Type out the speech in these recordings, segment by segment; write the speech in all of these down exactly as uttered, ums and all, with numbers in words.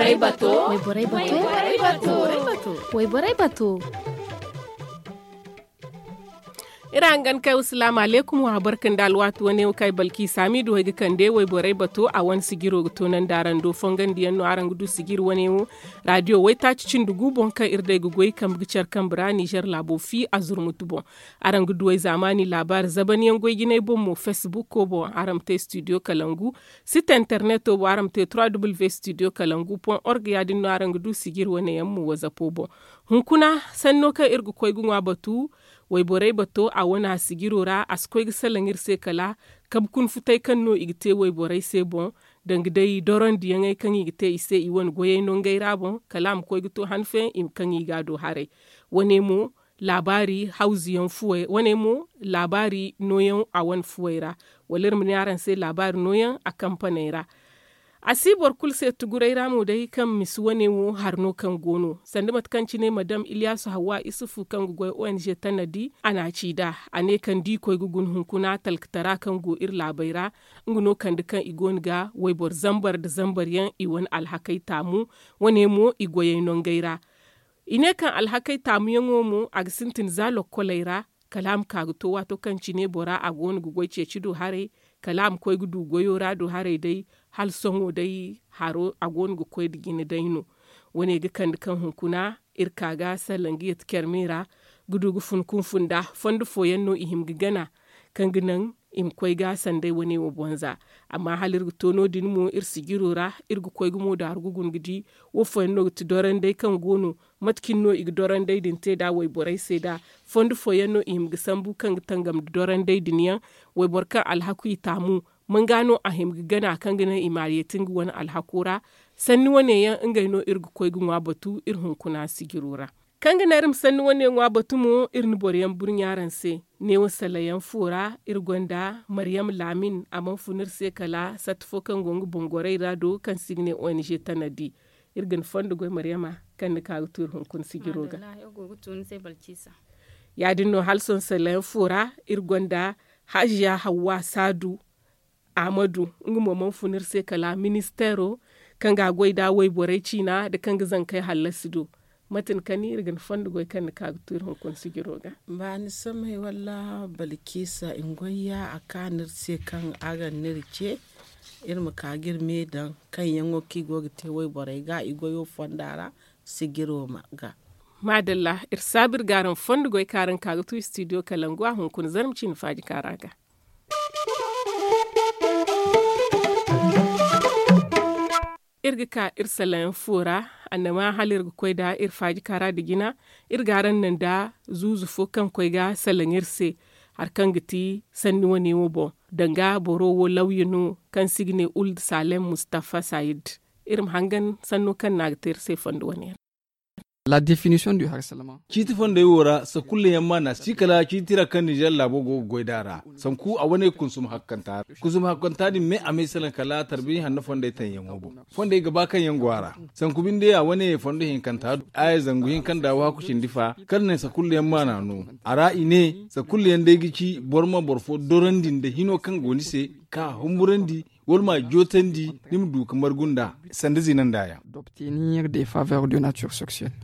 Wayborey bato. Wayborey bato. Iri hangan kay wa salaamu alaykum wa barka nda alwaati wane wo kaŋ ay balki saamiidu wo ay ga kande wayborey bato a wane sijiro ga toonandi araŋ do fongandiyaŋ no araŋ ga du sijiri wane wo. Raadiyo waytaaci cindi gu boŋ kaŋ iri day ga goy kambe ga care kambe ra nizer laabo fi a zurmutu boŋ. Araŋ ga du ay zaamaani laabaari zabanyaŋ goy jinay boŋ mo fesbuko boŋ araŋ ma te studio kalangu. Site interneto boŋ araŋ ma te trois w studio kalangu point org ya- din no araŋ ga du sijiri wane yaŋ mo wazapo boŋ. Hunkuna sanno kaŋ iri ga koy ga ŋwa batu wayborey bato a wane a sijiro ra a si koy ga salaŋ iri se kala kabe kunfutay kaŋ no i ga te wayborey se boŋ, danga day dorondiyaŋey kaŋ i ga te i se i wane goyey no ngey ra boŋ kala a ma koy ga to han fooyaŋ i ma kaŋ i ga a do haray. Wane mo laabaari hawzu yaŋ fuwey wane mo laabaari nooyaŋ a wane fuwey ra. Wala iri ma ne araŋ se laabaari nooyaŋ a kampaney ra. A si boro kulu se tuguray ra mo day kaŋ misi wane wo hari no kaŋ go no sanda mate kaŋ cine madam iliyasu hawwa isufu kaŋ ga goy ong tanadi a na a ci nd'a. A ne kaŋ da i koy ga guna hunkuna talkatara kaŋ go iri laabey ra, nga no kande kaŋ i go no ga wayboro zambar nda zambar yaŋ i wane alhakey taamu. Wane mo i goyey nongey ra. I ne kaŋ alhakey taamuyaŋo mo a ga sintin za lokkoley ra, kala a ma ka ga to waato kaŋ cine bora a go no ga goy ceeci do haray, kala a ma koy ga du goyo ra do haray day. Hala sohõ day haro a go no ga koy nda jine day no. Wane ga kande kaŋ hunkuna iri ka ga salaŋ ga yatti care me ra, ga du ga fun kunfu nda fondo fooyaŋ no i hima ga gana, kaŋ ga naŋ i ma koy ga sanday wane wo boŋ za. Amma hala iri ga to no- din mo iri sijiro ra, iri ga koy gumo daaru ga guna ga di wo fooyaŋ no ga ti doranday kaŋ go no, mate cine no i ga doranday din te nd'a wayborey se nd'a? Fondo fooyaŋ no i hima ga sambu kaŋ ga tangam nda doranday din yaŋ? Wayboro kaŋ alhaku i taamu, man ga no a hima ga gana kaŋ ga naŋ i ma a yeeti nga wane alhako ra? Sanni wane yaŋ ngey no iri ga koy ga ŋwa batu iri hunkuna sijiro ra. Kaŋ ga naŋ iri ma sanni wane ŋwa batu mo iri na boro yaŋ burɲa araŋ se. Neewo salayaŋ fo ra iri gonda maryam laamin a mana fun iri se kala satta fo kaŋ go nga boŋ gorey ra do kaŋ se i ga ne ong tanadi. Iri ga ni fondo goy maryama kaŋ ni ka ga tu iri hunkuna sijiro ga. Ya- din no hala sohõ salayaŋ fo ra iri gonda haziya hawwa saadu, ahmadu, nga mo mana fun iri se kala ministeero kaŋ ga a goy nd'a wayborey ciina nda kaŋ ga zankey hallasi do. Mate ni kani iri ga ni fondo goy kaŋ ni ka ga tu iri hunkuna sijiro ga? Ba ni samay walla balkisa ngoy ya a ka no iri se kaŋ a ga n'iri ce iri ma ka ga iri me daŋ kaŋ yaŋo kaŋ i go ga te wayborey ga i goyo fonda ra sijiro ga. Maadalla, iri saabu iri ga araŋ fondo goy kaŋ araŋ ka ga tu studio kalangu a hunkuna zarma ciine faaji kaara ga. Iri ga ka iri salaŋ fo ra, annama hala iri ga koy nda iri faaji kaara nda jina. Iri ga araŋ naŋ nda zuuzu fo kaŋ koy ga salaŋ iri se hari kaŋ ga ti sanni wane wo boŋ, danga boro wo lawya no kaŋ se i ga ne uld salem mustafa sayid. Iri ma hangan sanno kaŋ no a ga te iri se fondo wane ra. La definition du harsalama. Ciiti fondey wo ra sakulla yaŋ maana si kala ciiti ra kaŋ nizer laabo go ga goy nd'a ra. Sanku a wane kunsum hakkanta ra kunsum hakkanta din me a may salaŋ kala tarbi hanno fondey taŋ yaŋo boŋ. Fondey ga ba kaŋ yaŋ go a ra. Sanku binde a wane fondo hinkanta do aya zangu hinka nda waaku cindi fa kaŋ ne sakulla yaŋ maana no. A ra i ne sakulla yaŋ day ga ci boro ma boro fo dorandi nda hino kaŋ go ni se ka humburandi wala ma jootandi ni ma du ga margu nd'a sanda zina nda yaŋ. D'obtenir des faveurs de nature sexuelle.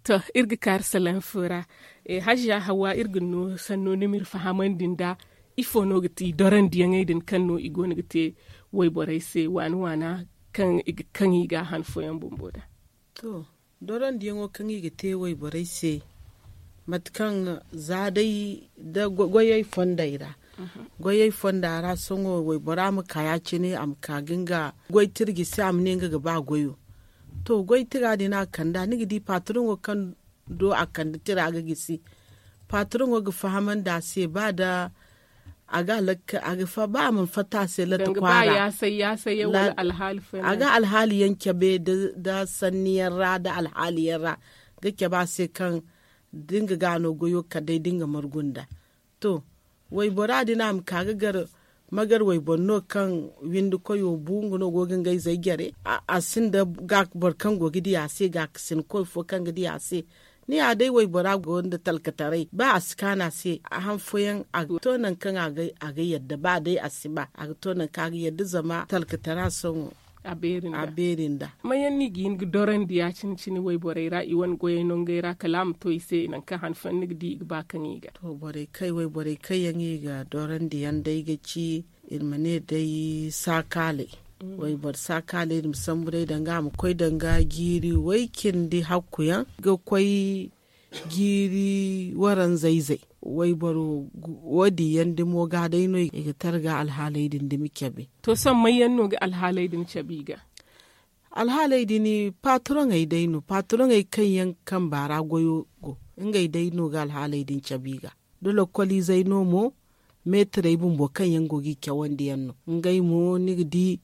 To, iri ga kaari salaŋ fo ra. Haziya hawa iri ga no sanno ni ma iri fahamandi nda ifo no ga ti dorandiyaŋey din kaŋ no i go no ga te wayborey se waana waana kaŋ i ga kaŋ i ga han fooyaŋ bumbo da. To, dorandiyaŋo kaŋ i ga te wayborey se mate kaŋ za day da goyey fondey ra. Goyey fonda ra sohõ waybora ma ka ya- cine a ma ka ga nga goy tira gisi a ma ne nga ga ba goyo. To, goy tira din a kand'a ni ga di patroŋo kaŋ do a kande tira ga gisi. Patroŋo ga fahamandi a se ba da a ga a ga fatta a se latta kwaara. A ga alhaali yaŋ cabe da sanni yaŋ ra da alhaali yaŋ ra ga cabe a se kaŋ da nga ga a no goyo kala day da nga margu nda. To, waybora din a ma ka ga gar magar wayboro no kaŋ windi koyo bu nga no go ga nga izey jare. A sinda ga boro kaŋ go ga di a se ga ga sinda koy fo kaŋ ga di a se. Ni ya day waybora go nda talkataray ba a si kaanu a se a han fooyaŋ a ga to nangu kaŋ a ga yadda ba day a si ba a ga to nangu kaŋ a ga yadda zama talkatara sohõ. A beeri nda. Mayaŋ no i ga hin ga dorandi ya- cine cine wayborey ra i wane goyey nongey ra kala a ma to i se nangu kaŋ hanfan ni ga di i ga ba kaŋ i ga. To borey kaŋ wayborey kaŋ yaŋ i ga dorandi yaŋ day ga ci, iri ma ne day saakaaley. Wayboro saakaaley iri ma sambu day danga a ma koy danga jiiri way cindi hakku yaŋ ga koy jiiri waranza izey. Wayboro wo- din yaŋ dimo ga day no i ga targa alhaaley din dumi cabe. To sohõ may yaŋ no ga alhaaley din cabe i ga? Alhaaley din patroŋey day no patroŋey kaŋ yaŋ kamba ra goyo go. Ngey day no ga alhaaley din cabe i ga. Da lokoliizey no mo meetirey bumbo kaŋ yaŋ go ga i cawandi yaŋ no. Ngey mo ni ga di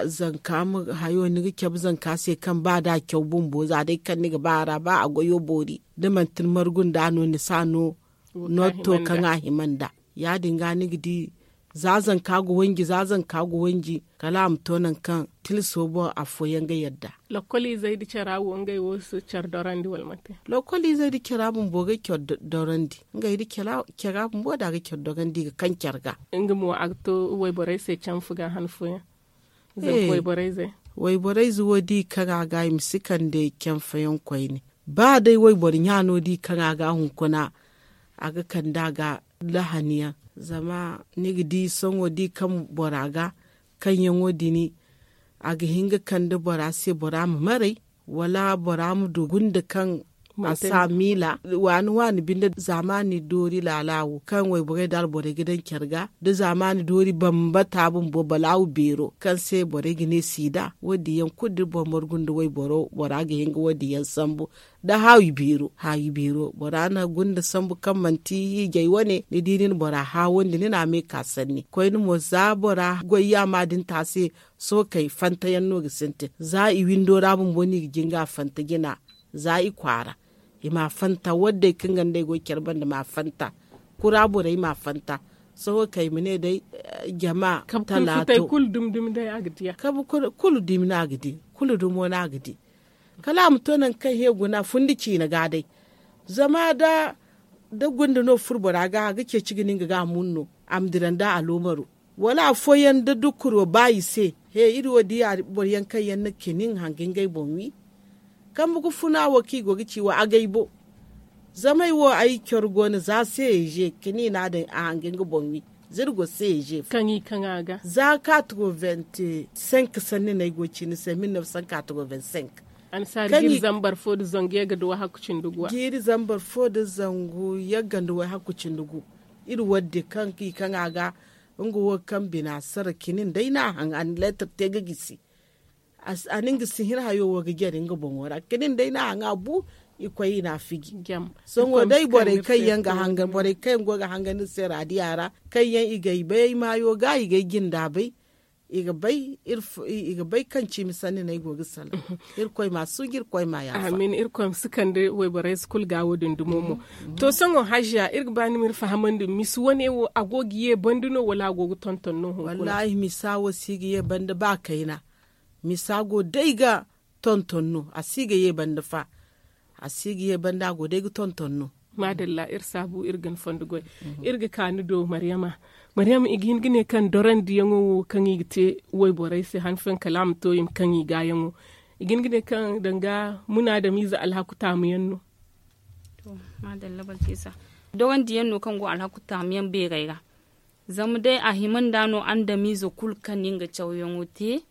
zanka hayo ni ga cabe zanka se kaŋ ba da a caw bumbo za day kaŋ ni ga ba a ra ba a goyo boori da manti ni margu nda no ni si a no nootto kaŋ a hima nda. Ya- din ga ni ga di za zanka ga wanji za zanka ga wanji kala a ma to nangu kaŋ tilso boŋ afooyaŋ ga yadda. Lokoliizey nda cara wo ngey wo si care dorandi wala manti? Lokoliizey nda cara bumbo ga care dorandi. Ngey nda cara bumbo da a ga care dorandi i ga kaŋ care ga. Nga mo a ga to wayborey se canfa ga han fooyaŋ? Zama wayborey ze wayborey ze wo di kaŋ a ga i ma si kande canfa yaŋ koyne. Ba day wayboro ɲaano di kaŋ a ga hunkuna a ga kande a ga lahani yaŋ. Zama ni ga di sohõ di kaŋ bora ga kaŋ yaŋo din a ga hin ga kande bora se bora ma maray wala bora ma du gunda kaŋ a si a miila waani waani binde. Zaamaani doori laala wo kaŋ wayborey da alborey ga daŋ care ga da zaamaani doori bambata bumbo balaawu beero kaŋ se borey ga ne siida wo- din yaŋ kulu da iri boro margu nda wayboro bora ga hin ga wo- din yaŋ sambu. Da haawi beero haawi beero bora na gunda sambu kaŋ manti hiijay wane ni di ni na bora haawandi ni na a me ka sanni koyne mo za bora goy yaama din te a se. Sohõ kay fanta yaŋ no ga sintin za i windo ra bumbo no i ga jinga fanta jina. Za i kwaara i ma a fanta waddey kaŋ ga nd'ey goy care banda ma a fanta. Kura borey ma a fanta. Sohõ kay i ma ne day jama talaato kabu kulu dumi no a ga di kulu dumo no a ga di. Kala a ma to nangu kaŋ he guna fundi ciina ga day. Zama da gunda no furo bora ga a ga ceeci ga ne nga ga a mun no a ma dira nda a loomaro. Wala afooyaŋ da dukkuro ba i se he iri wo di boro yaŋ kaŋ yaŋ na kinin hanga ngey boŋ wi. Kambe ga funa wo kaŋ i go ga ci wo agay bo. Zama ay wo ay care go no za se i ze kinin a daŋ a hanga nga boŋ wi. Za iri go se i ze fo kaŋ i kaŋ a ga za kaaturo vingt cinq sanni no ay go ga ci ni se mille neuf cent kaaturo vingt cinq. Annasaari ga iri zambar fo nda zangu yagga nda wahakku cindi gu a ga iri zambar fo nda zangu yagga nda wahakku cindi gu. Iri wadde kaŋ i kaŋ a ga nga wo kaŋ bina sara kinin day no a haŋ a na leetar te ga gisi. A na nga si hin hayo wo ga jare nga boŋo ra kinin day no a haŋ a bu. I koy i na a fiji. Sohõ day borey kaŋ yaŋ ga hangan borey kaŋ yaŋ go ga hangan iri se raadiya ra kaŋ yaŋ i ga ay bay ay maayo ga i ga ay jinda bay. I ga bay kaŋ ciimi sanni no ay go ga salaŋ. Irkoy ma a suuji irkoy ma a yaafa. Amin irkoy ma si kande wayborey si kulu ga wo- din dumo mo. To sohõ haziya iri ga ba ni ma iri fahamandi misa wane wo a go ga ye banda no wala a go ga tonton no hunkuna? Wallaahi misa wo si ga ye banda ba kayna. Misa go day ga tonton no a si ga ye banda fa. A si ga ye banda a go day ga tonton no. Maadalla iri saabu iri ga ni fondo goy. Iri ga ka ni do maryama. Maryama i ga hin ga ne kaŋ dorandiyaŋo wo kaŋ i ga te wayborey se han fooyaŋ kala a ma to i ma kaŋ i gaayaŋo. I ga hin ga ne kaŋ danga munaadamiize alhaku taamuyaŋ no. Dorandiyaŋ no kaŋ go alhaku taamuyaŋ beerey ra. Zama day a hima nda no andamiize kulu kaŋ nin ga cawyaŋo te.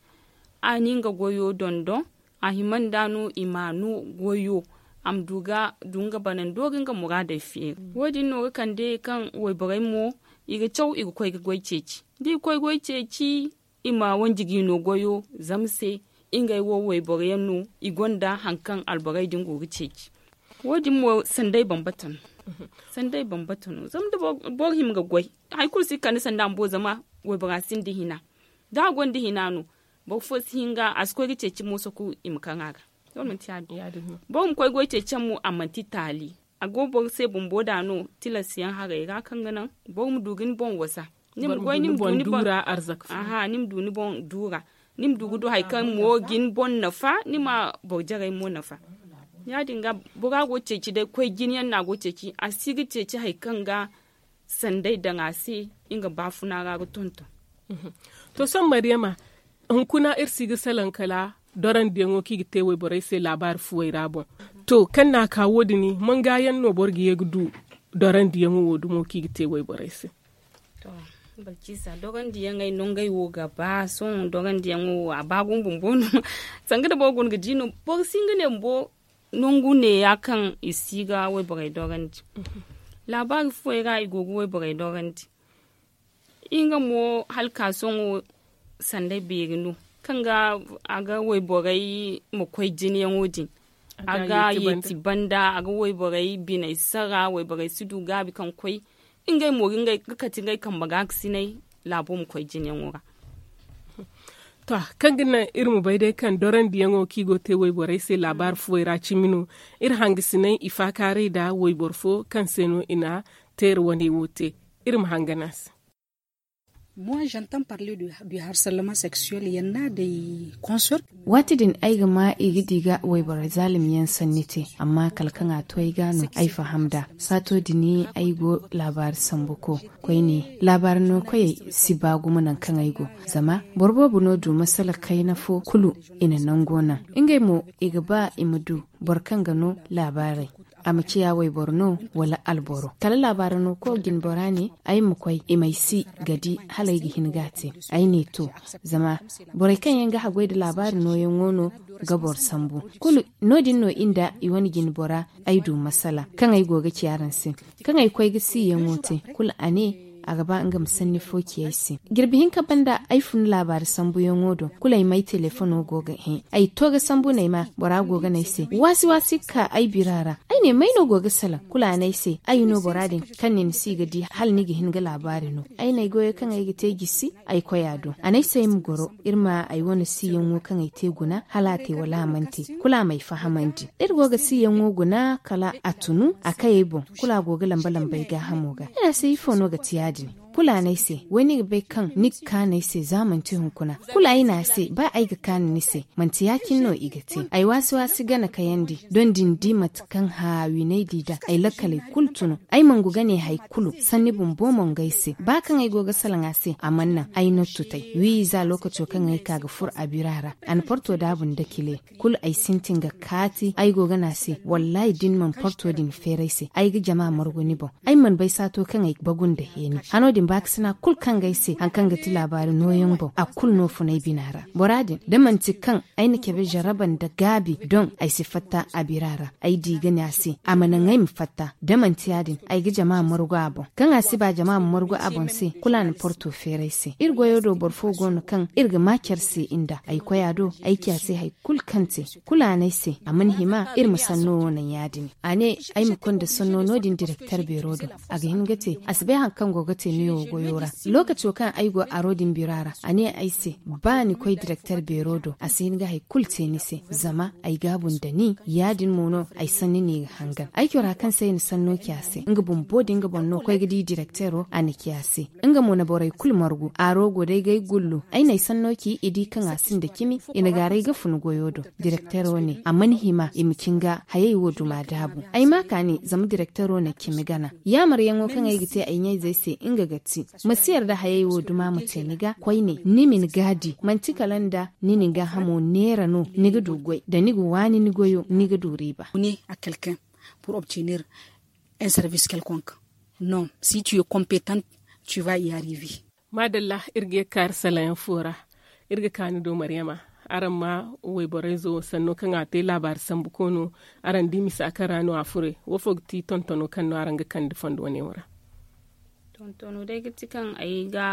A nin ga goyo dondon. A hima nda no i ma no goyo a ma du ga du nga banando ga nga muraadey feeri. Wo- din no ga kande kaŋ wayborey mo i ga caw i ga koy ga goy ceeci. Da i koy goy ceeci i ma wanji ga i no goyo zama se. Ngey wo wayboro yaŋ no i gonda hari kaŋ alborey din go ga ceeci. Wo- din mo sanday bambata no. Sanday bambata no zama da boro hima ga goy hari kulu si ga kande sanda bumbo zama waybora sinda hina. Da a gonda hina no boro fo si hin ga a si koy ga ceeci mooso kulu i ma kaŋ a ga. Boro ma koy goy ceeci yaŋ mo a manti taali. A go boro se bumbo da no tilas yaŋ harey ra kaŋ ga naŋ boro ma du ga ni boŋ wasa. Ni ma goy ni ma du ni boŋ duura. Ni ma du ga du hari kaŋ mo ga ni boŋ nafa ni ma boro jarey mo nafa. Ya- din ga bora go ceeci day koy jine yaŋ no a go ceeci a si ga ceeci hari kaŋ ga sanday daŋ a se nga baafuna ra ga tonton. To sohõ maryama Hunkuna iri si ga salaŋ kala dorandiyaŋo kaŋ i ga te wayborey se laabaari fuwey ra boŋ. To kaŋ no a ka wo- din, manga yaŋ no boro ga ye ga du dorandiyaŋo wo dumo kaŋ i ga te wayborey se? To, balciisa dorandiyaŋey no ngey wo ga ba sohõ dorandiyaŋo wo a ba gumo bumbo no. Sanga nda boro guna ga di no, boro si hin ga ne bumbo nangu neeya kaŋ i si ga wayborey dorandi. Laabaari fuwey ra i go ga wayborey dorandi. Nga mo hala ka sohõ sanday beeri no kaŋ ga a ga wayborey ma koy jinayaŋo din. A ga yeeti banda a ga wayborey biney sara wayborey si du gaabi kaŋ koy. Ngey mo ga kate ngey kambe ga ga sinay laabo ma koy jinayaŋo ra. To, kaŋ ga naŋ iri ma bay day kaŋ dorandiyaŋo kaŋ i go ga te wayborey se laabaari fuwey ra cimi no. Iri hangasinay i faakaaray nda wayboro fo kaŋ se no i na teera wane wo te. Iri ma hangan a se. Moi j'entends parler du harcèlement sexuel, il y en a des consoeurs. Waati din ay ga ma i ga di ga wayboro zaalimiyaŋ sanni te, amma kala kaŋ a to ay ga no ay faham nd'a. Saato din ay go laabaari sambu ko koyne. Laabaari no koyey si ba gumo nangu kaŋ ay go. Zama boro boobo no du masala kayna fo kulu i na nango naŋ. Ngey mo i ga ba i ma du boro kaŋ ga no laabaarey, a ma ciya wayboro no wala alboro. Kala laabaari no ko jinbora ne ay ma koy i ma ay si ga di hala ay ga hin ga a te. Ay ne to, zama borey kaŋ yaŋ ga haggoy nda laabaari nooyaŋo no ga boro sambu. Kulu no- din no i nda i wane jinbora ay du masala kaŋ ay go ga ci araŋ se. Kaŋ ay koy ga siyaŋo te kulu a ne a ga ba nga ma sanni fo ci ay se. Jirbi hinka banda ay fun laabaari sambuyaŋo do kulu ay ma ay telefono go ga hẽ ay to ga sambu no ay ma bora go ga ne ay se waasi waasi ga ka ay bira ra. Ay ne may no go ga salaŋ kulu a ne ay se ay no bora din kaŋ nin si ga di hala ni ga hin ga laabaari no. Ay ne ay goyo kaŋ ay ga te jisi ay koy a do a ne ay se ay ma goro iri ma ay wane siyaŋo kaŋ ay te guna hala a te wala a mana te. Kulu a ma ay fahamandi iri go ga siyaŋo guna kala a tunu a kay ay boŋ. Kulu a go ga lamba lamba ay gaahamo ga ay ne a se ifo no ga te ya- din? Kulu a ne ay se wai ni ga bay kaŋ ni ga kaanu ay se za manti hunkuna. Kulu ay ne a se ba ay ga kaanu ni se manti ya- cine no i ga te ay waasi waasi gana kayandi don da ni di mate kaŋ haawinay di nd'a ay lakkaley kulu tunu. Ay mangu ga ne hari kulu sanni bumbo mo nga ay se ba kaŋ ay go ga salaŋ a se a mana naŋ ay nottu tay wi za lookaco kaŋ ay ka ga furo a bira ra a na porto daabu nda kile. Kulu ay sintin ga kaati ay go ga ne a se wallaahi da ni mana porto din feeri ay se ay ga jama margu ni boŋ. Ay mana bay saato kaŋ ay bagu nda heeni hano din baakasina kulu kaŋ ga ay se hari kaŋ ga ti laabaari nooyaŋ boŋ a kulu no fun ay bina ra. Bora din da manti kaŋ ay na cabe jarraba nda gaabi doŋ ay si fatta a bira ra ay di ga ne a se a ma naŋ ay ma fatta da manti ya- din ay ga jama margu a boŋ. Kaŋ a si ba jama ma margu a boŋ se kulu a na porto feeri ay se iri goyo do boro fo go no kaŋ iri ga ma care se nda ay koy a do ay ci a se hari kulu kaŋ te. Kulu a ne ay se a mana hima iri ma sanno wo naŋ ya- din a ne ay ma konda sanno no- din direkter beero do. A ga hin ga te a si bay hari kaŋ go ga te meewo goyo ra. Lookaco kaŋ ay go aro din bira ra a ne ay se ba ni koy direkter beero do a si hin ga hari kulu te ni se zama ay gaabu nda ni ya- din mo no ay sanni no i ga hangan ay cora kaŋ se ay na sanno ci a se nga bumbo da nga boŋ no koy ga di direktero a na ci a se. Nga mo na borey kulu margu aro go day ga ay gullu ay na ay sanno ci i di kaŋ a sinda cimi i na gaaray ga fun goyo do. Direktero ne a mana hima i ma cin ga hayey wo duma daabu ay ma kaani zama direktero na cimi gana yaamaryaŋo kaŋ ay ga te ay ɲayzey se nga ga ti ma si yarda hayey wo duma ma te ni ga koyne ni ma ni gaadi manti kala nda ni na ni gaahamo neera no ni ga du goy da ni ga waani ni goyo ni ga du riiba. Pour obtenir un service quelconque non si tu es compétente tu vas y arriver. Maadalla iri ga ye ga kaari salayaŋ fo ra. Iri ga kaanu do maryama araŋ ma wayborayzo sanno kaŋ a te laabaari sambu koono araŋ di misa kaŋ ra no a fure wo fo ga ti tontono kaŋ no araŋ ga kande fondo wane wo ra? Tontono day ga ti kaŋ ay ga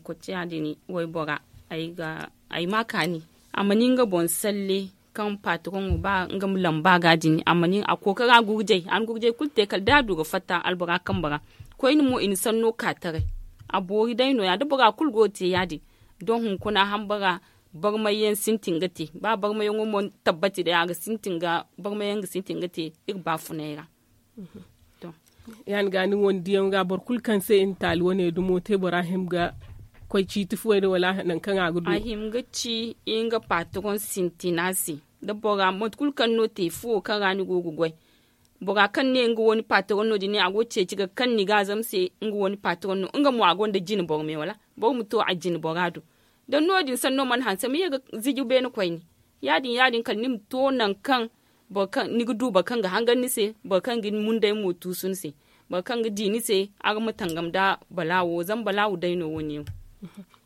kotiya din waybora ay ma kaani a ma ni nga boŋ salle kaŋ patroŋo ba nga ma lamba ga din a ma ni a kookara gurjay a na gurjay kulu te kala da a du ga fatta albora kambe ra. Koyne mo i na sanno ka taray a boori day no- ya da bora kulu go ga te ya- din. Don hunkuna hambara barmayyaŋ sintin ga te ba barmayyaŋo mo tabbati day a ga sintin ga barmayyaŋ ga sintin ga te iri baafunay ra. Ya- din ga ni wane diyaŋo ga boro kulu kaŋ se i na taali wane dumo te bora hima ga koy ciiti fuwey din wala nangu kaŋ a ga du a hima ga ci nga patroŋ sintina se da bora mate kulu kaŋ no te fuwo kaŋ ra ni go ga goy. Bora kaŋ ne nga wane patroŋ no din ne a go ga ceeci ga kaŋ ni ga a zama se nga wane patroŋ no nga mo a gonda jine boro me wala boro ma to a jine bora do. Da no- din sanno mana hanse ma ye ga ziji beene koyne. Ya- din ya- din kala ni ma to nangu kaŋ ni ga du boro kaŋ ga hangan ni se, boro kaŋ ga ni munday mo tuusu ni se, boro kaŋ ga di ni se. Araŋ ma tangam nda balaawo zama balaawo day no wo- ne yaŋ.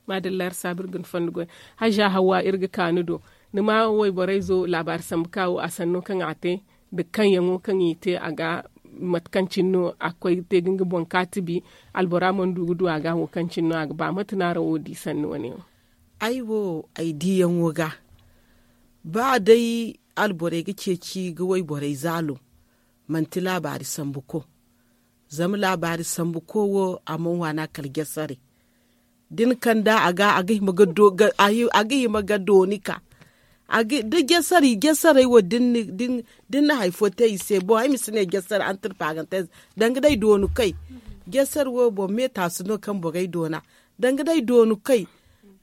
Maadalla iri saabu iri ga ni fondo goy. Hajja hawwa iri ga ka ni do, ni ma wayborayzo laabaari sambu ka wo a sanno kaŋ a te, nda kaŋyaŋo kaŋ i te a ga, mate kaŋ cine no a ga koy ga te ga nga boŋ kaatibi, albora mana du ga du a ga wo kaŋ cine no a ga ba mate no araŋ wo di sanni wo- ne wo? Ay wo, ay diyaŋo ga ba day alborey ga ceeci ga wayborey zaalo, manti laabaari sambu ko. Zama laabaari sambu ko wo a mana waana kala jasare. Da ni kand'a a ga a ga hima ga dooni ka da jasarey wo da ni na hari fo te i se boŋ ay ma si ne jasar antirpaagante. Danga day dooni kay jasar wo boro meetaasu no kaŋ borey doona. Danga day dooni kay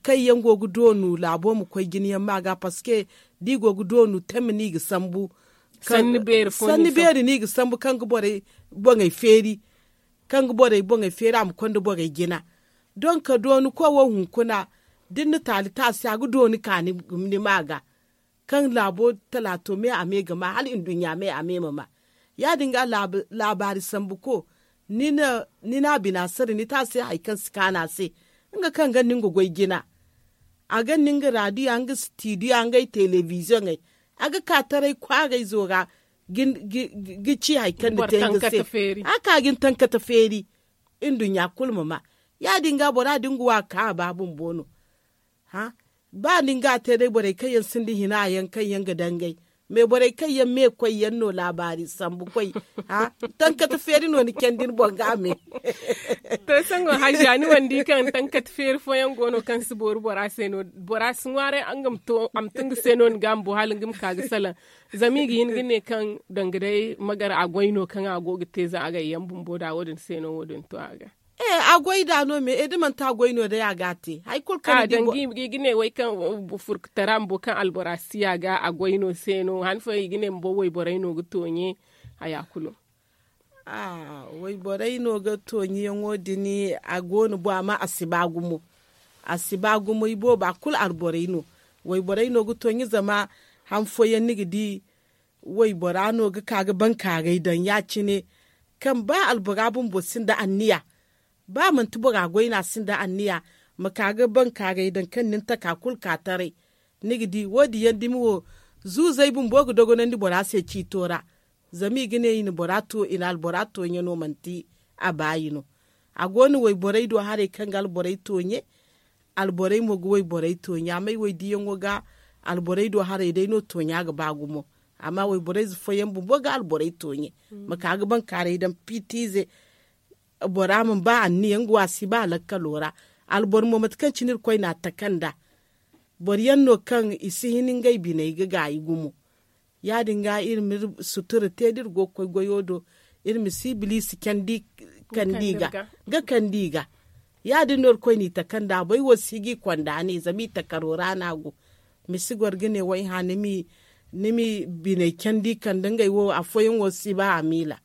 kaŋ yaŋ go ga doonu laabo ma koy jina yaŋ ma ga parceque da i go ga doonu teme no i ga sambu. Sanni beeri no i ga sambu kaŋ ga borey boŋey feeri kaŋ ga borey boŋey feeri a ma konda borey jina. Donk dooni koy wo hunkuna da ni na taali te a se a ga dooni ka ni ma ga kaŋ laabo talaato me a me ga ma hala nduɲɲa me a me ma ma. Ya- din ga laabaari sambu ko ni na bina sara ni te a se hari kaŋ si kaanu a se. Nga kaŋ ga ni nga goy jina a ga ni nga raadiya nga sitidiya ngey telebiziyoŋey a ga ka taray kwaarayzo ra ga ci hari kaŋ ni te nga se. A ka ga ni tankata feeri nduɲɲa kulu ma ma. Ya- din ga bora da nga wa ka a ba bumbo no. Ba ni nga a te day borey kaŋ yaŋ sinda hina yaŋ kaŋ yaŋ ga dangay me borey kaŋ yaŋ me koy yaŋ no laabaari sambu koy. Tankata feeri no ni candi ni boŋ ga a me. To sango hajja ni mana di kaŋ tankata feeri fooyaŋ go no kaŋ si boori bora se no bora si ŋwaaray a ma to nga se no ni ga a ma bo hala nga ma ka ga salaŋ. Zama i ga hin ga ne kaŋ danga day magar a goy no kaŋ a go ga te za a gay yaŋ bumbo da wo- din se no wo- din to a ga. A goy da no me da manti a goy no day a ga a te hari kulu kaŋ ni di. I ga ne way kaŋ furkutara bumbo kaŋ albora si ya ga a goy no se no han fooyaŋ i ga ne bumbo wayborey no ga tooɲe. Haya kulu wayborey no ga tooɲe yaŋo din a go no bo amma a si ba gumo. A si ba gumo i booba kulu alborey no. Wayborey no ga tooɲe zama han fooyaŋ ni ga di waybora no ga ka ga bankaaray daŋ ya- cine kaŋ ba albora bumbo sinda anniya. Ba manti bora goy no a sinda anniya ma ka ga bankaaray daŋ kaŋ ni na taka kulu ka taray. Ni ga di wo- din yaŋ dumi wo zuuzey bumbo ga dogonandi bora se ciito ra. Zama i ga ne i na albora tooɲe no manti a baayi no. A go no wayborey do haray kaŋ ga alborey tooɲe. Alborey mo ga wayborey tooɲe amma ay waydiyaŋo ga alborey do haray day no tooɲa ga ba gumo. Amma wayborey ze fooyaŋ bumbo ga alborey tooɲe ma ka ga bankaaray daŋ piitiize. Bora mana ba anniya nga wo a si ba lakkalo ra. Alboro mo mate kaŋ cine irkoy no a taka nd'a. Boro yaŋ no kaŋ i si hin ngey biney ga gaayi gumo. Ya- din ga iri ma iri sutura te da iri go ga koy goyo do iri ma si ibiliisi candi ga kande i ga. Ya- din no irkoy n'i taka nd'a bay wo si ga i konda ne zama i takaro ra no a go. Ma si goro ga ne wayha ni m'i biney candi kande ngey wo afooyaŋ wo si ba a miila.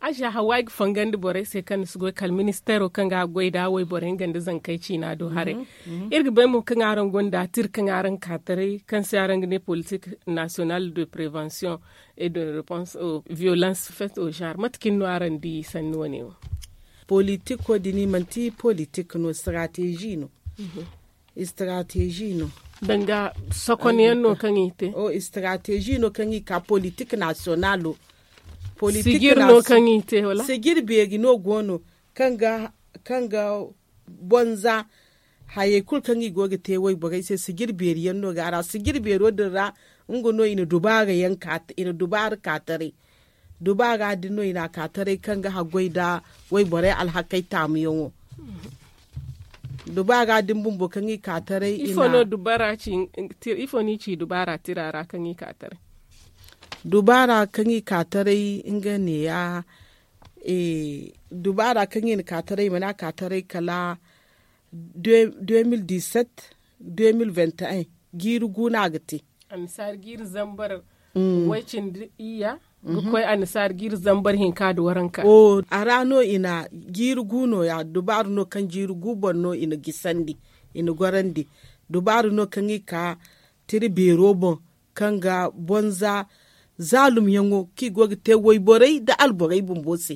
Aza hawa ay ga fangandi borey se kaŋ ni si goy kala ministeero kaŋ ga a goy nda wayborey nga nda zankey ciina do haray. Iri ga bay mo kaŋ araŋ gonda tira kaŋ araŋ ka taray kaŋ se araŋ ga ne politik national de prevention et de réponse aux violences faites au genre mate kaŋ no araŋ di sanni wane wo? Politiko din manti politik no strategie no. Strategie no. Danga sokonyaŋ no kaŋ i te. Strategie no kaŋ i ka politik national. Politik sigir no kaŋ i te wala? Sigir beeri no go no kaŋ ga bonza hayey kulu kaŋ i go ga te wayborey se sigir beeri yaŋ no ga a ra sigir beero din ra. Nga no i na dubaara yaŋ ka taray dubaara ka taray dubaara din no i na a ka taray kaŋ ga haggoy nda wayborey alhakey taamuyaŋo. Dubaara din bumbo kaŋ i ka taray ifo no dubaara ci? Ifo no i ci dubaara tira ra kaŋ i ka taray? Dubaara kaŋ i ka taray nga neeya. Dubaara kaŋ i na ka taray i mana ka taray kala deux mille dix-sept deux mille vingt et un. Jiiri gu no a ga te. Annasaari jiiri zambar way cindi iyya ga koy annasaari jiiri zambar hinka nda waranka. A ra no i na jiiri gu no- ya dubaaru no kaŋ jiiri gu boŋ no i na gisandi i na gorandi. Dubaara no kaŋ i ka tira beero boŋ, kaŋ ga bonza zaalumyaŋo kaŋ i go ga te wayborey nda alborey bumbo se.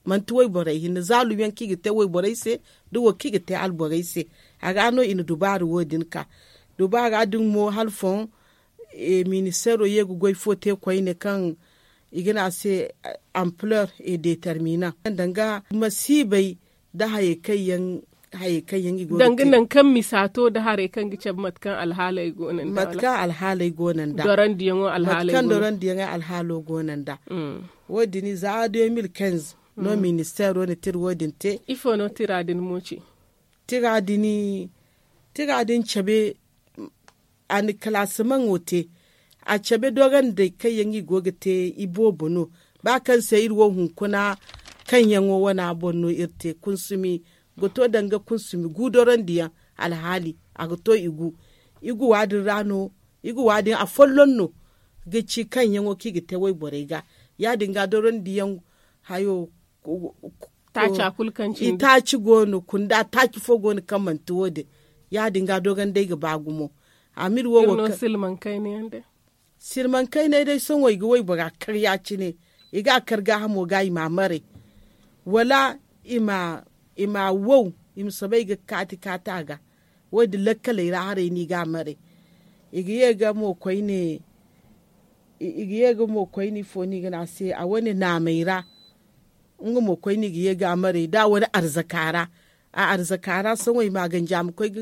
Manti wayborey hinne zaalumyaŋ kaŋ i ga te wayborey se, nda wo kaŋ i ga te alborey se. A ga no i na dubaara wo- din ka dubaara din mo hala foŋ. Ministeero ye ga goy fo te koyne kaŋ i ga ne a se ampleur et determinant danga masiibey nda hayey kaŋ yaŋ i go ga te. Danga nangu kaŋ misa to nda harey kaŋ ga cabe mate kaŋ alhaaley go no nda mate kaŋ alhaaley go no nda dorandiyaŋo alhaaley go no nda. Wo- din za deux mille quinze no ministeero na tira wo- din te. Ifo no tira din mo ci? Tira din cabe a na kalaasimaŋo te. A cabe dorandey kaŋ yaŋ i go ga te iboobo no. Ba kaŋ se iri wo hunkuna kaŋ yaŋo wana boŋ no iri te kunsumi ga to danga kunsumi gu dorandiyaŋ alhaali a ga to igu. Igu wa- din ra no igu wa- din afolloŋ no ga ci kaŋ yaŋo kaŋ i ga te wayborey ga. Ya- din ga dorandiyaŋ hayo taaca kulu kaŋ cindi. Itaaci go no kunda taaci fo go no kaŋ manti wo- din. Ya- din ga dorandey ga ba gumo. Amir wo wo kaŋ silmaŋ kayna yaŋ day. Silmaŋ kaynay day sohõ i ga waybora kar ya- cine. I ga a kar gaahamo ga i ma a maray wala i ma wow i ma soobay ga kaati kaati a ga. Wo- din lakkaley ra haray no i ga a maray. I ga ye ga mo koyne i ga ye ga mo koyne ifo no i ga ne a se a wane naamey ra. Nga mo koyne i ga ye ga a maray da a wane arzaka ra. A arzaka ra sohõ i ma a ganji a ma koy ga